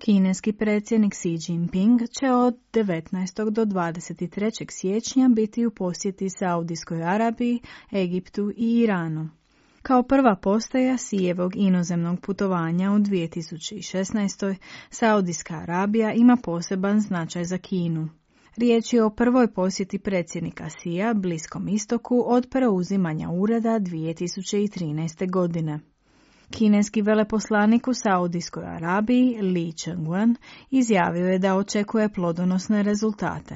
Kineski predsjednik Xi Jinping će od 19. do 23. siječnja biti u posjeti Saudijskoj Arabiji, Egiptu i Iranu. Kao prva postaja Xijevog inozemnog putovanja u 2016. Saudijska Arabija ima poseban značaj za Kinu. Riječ je o prvoj posjeti predsjednika Xija Bliskom istoku od preuzimanja ureda 2013. godine. Kineski veleposlanik u Saudijskoj Arabiji Li Chengwen izjavio je da očekuje plodonosne rezultate.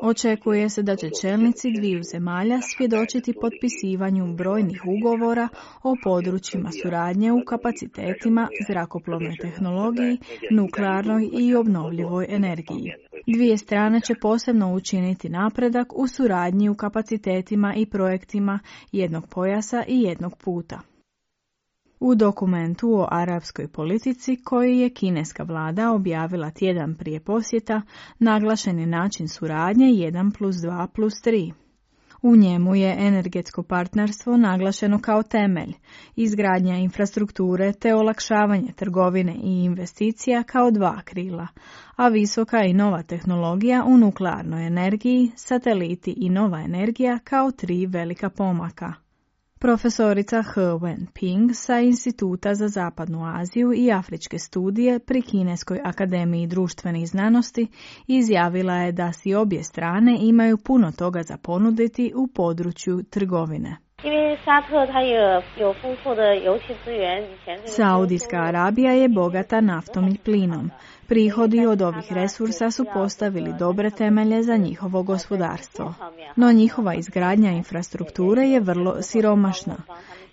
Očekuje se da će čelnici dviju zemalja svjedočiti potpisivanju brojnih ugovora o područjima suradnje u kapacitetima, zrakoplovnoj tehnologiji, nuklearnoj i obnovljivoj energiji. Dvije strane će posebno učiniti napredak u suradnji u kapacitetima i projektima jednog pojasa i jednog puta. U dokumentu o arapskoj politici koji je kineska vlada objavila tjedan prije posjeta, naglašen je način suradnje 1+2+3. U njemu je energetsko partnerstvo naglašeno kao temelj, izgradnja infrastrukture te olakšavanje trgovine i investicija kao dva krila, a visoka i nova tehnologija u nuklearnoj energiji, sateliti i nova energija kao tri velika pomaka. Profesorica He Wenping sa Instituta za Zapadnu Aziju i afričke studije pri Kineskoj akademiji društvenih znanosti izjavila je da si obje strane imaju puno toga za ponuditi u području trgovine. Saudijska Arabija je bogata naftom i plinom. Prihodi od ovih resursa su postavili dobre temelje za njihovo gospodarstvo. No njihova izgradnja infrastrukture je vrlo siromašna.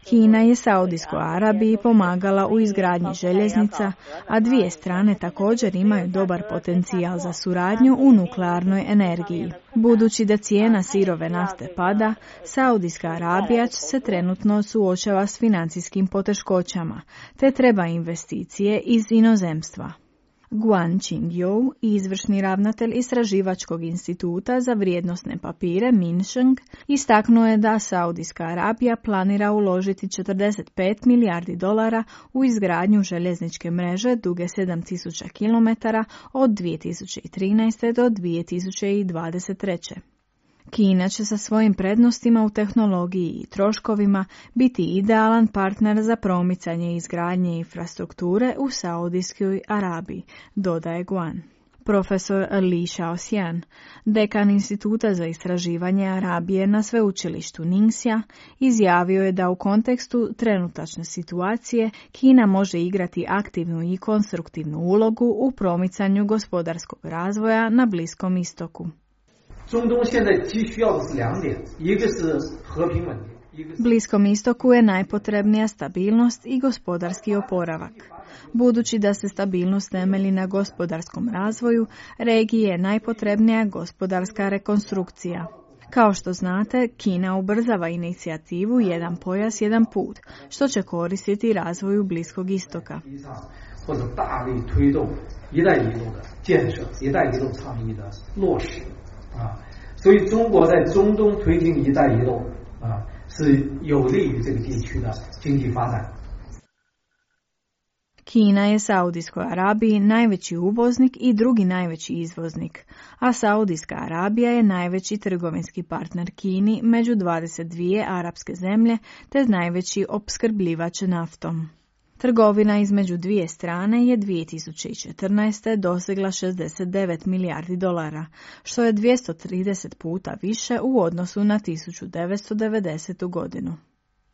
Kina je Saudijskoj Arabiji pomagala u izgradnji željeznica, a dvije strane također imaju dobar potencijal za suradnju u nuklearnoj energiji. Budući da cijena sirove nafte pada, Saudijska Arabija se trenutno suočava s financijskim poteškoćama, te treba investicije iz inozemstva. Guan Qingyou, izvršni ravnatelj Istraživačkog instituta za vrijednosne papire Minsheng, istaknuo je da Saudijska Arabija planira uložiti $45 milijardi u izgradnju željezničke mreže duge 7000 km od 2013. do 2023. Kina će sa svojim prednostima u tehnologiji i troškovima biti idealan partner za promicanje izgradnje infrastrukture u Saudijskoj Arabiji, dodaje Guan. Profesor Li Shaoxian, dekan Instituta za istraživanje Arabije na sveučilištu Ningxia, izjavio je da u kontekstu trenutačne situacije Kina može igrati aktivnu i konstruktivnu ulogu u promicanju gospodarskog razvoja na Bliskom istoku. Bliskom istoku je najpotrebnija stabilnost i gospodarski oporavak. Budući da se stabilnost temelji na gospodarskom razvoju, regiji je najpotrebnija gospodarska rekonstrukcija. Kao što znate, Kina ubrzava inicijativu Jedan pojas, jedan put, što će koristiti razvoju Bliskog istoka. Kina je Saudijskoj Arabiji najveći uvoznik i drugi najveći izvoznik, a Saudijska Arabija je najveći trgovinski partner Kini među 22 arapske zemlje te najveći opskrbljivač naftom. Trgovina između dvije strane je 2014. dosegla $69 milijardi, što je 230 puta više u odnosu na 1990. godinu.